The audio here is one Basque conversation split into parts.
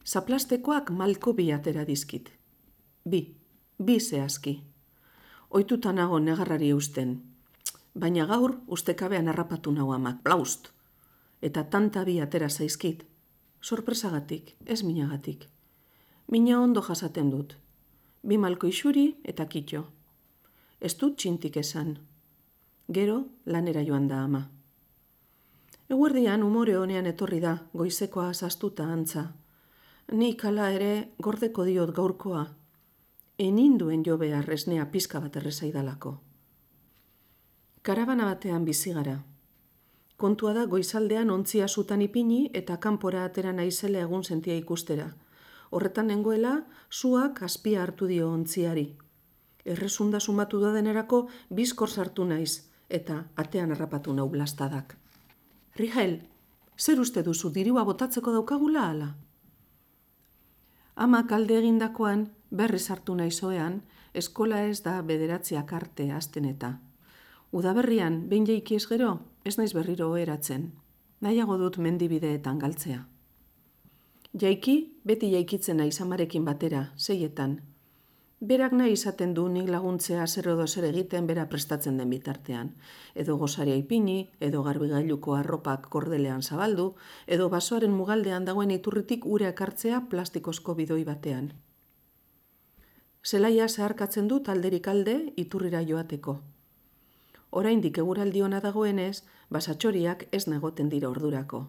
Zaplastekoak malko bi atera dizkit. Bi zehazki. Ohituta nago negarrari eusten. Baina gaur ustekabean harrapatu nau amak, blaust. Eta tanta bi atera zaizkit. Sorpresagatik, ez minagatik. Mina ondo jasaten dut. Bi malko isuri eta kitxo. Ez dut txintik esan. Gero lanera joan da ama. Eguerdian umore honean etorri da, goizekoa zaztuta antza. Nik hala ere gordeko diot gaurkoa. Eninduen jo behar esnea pizka bat errezaidalako. Karabana batean bizi gara. Kontua da goizaldean ontzia zutan ipini eta kanpora atera naizela egun sentia ikustera. Horretan nengoela, suak azpia hartu dio ontziari. Errezunda sumatu da denerako bizkor sartu naiz eta atean harrapatu nau blastadak. Rigel, zer uste duzu dirua botatzeko daukagula ala? Ama kalde egindakoan berriz hartu naizoean, eskola ez da 9 arte hasten eta. Udaberrian, behin jaiki ez gero, ez naiz berriro oheratzen. Nahiago dut mendibideetan galtzea. Jaiki, beti jaikitzen naiz amarekin batera, 6etan. Berak nahi izaten du nik laguntzea zer edo zer egiten bera prestatzen den bitartean. Edo gosaria ipini, edo garbigailuko arropak kordelean zabaldu, edo basoaren mugaldean dagoen iturritik ura ekartzea plastikozko bidoi batean. Zelaia zeharkatzen dut alderik alde iturrira joateko. Oraindik eguraldi ona dagoenez, basatxoriak ez negoten dira ordurako.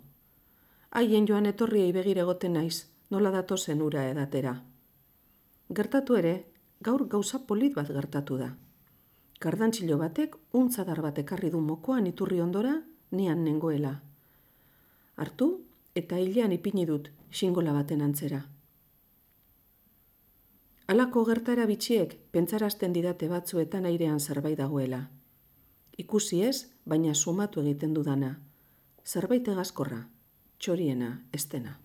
Haien joan etorriei begira egoten naiz, nola datozen ura edatera. Gertatu ere, gaur gauza polit bat gertatu da. Kardantxilo batek untzadar bat ekarri du mokoan iturri ondora, nian nengoela. Hartu eta hilean ipini dut xingola baten antzera. Halako gertara bitxiek pentsarazten didate batzuetan airean zerbait dagoela. Ikusi ez, baina sumatu egiten dudana. Zerbait egazkorra, txoriena, ez dena.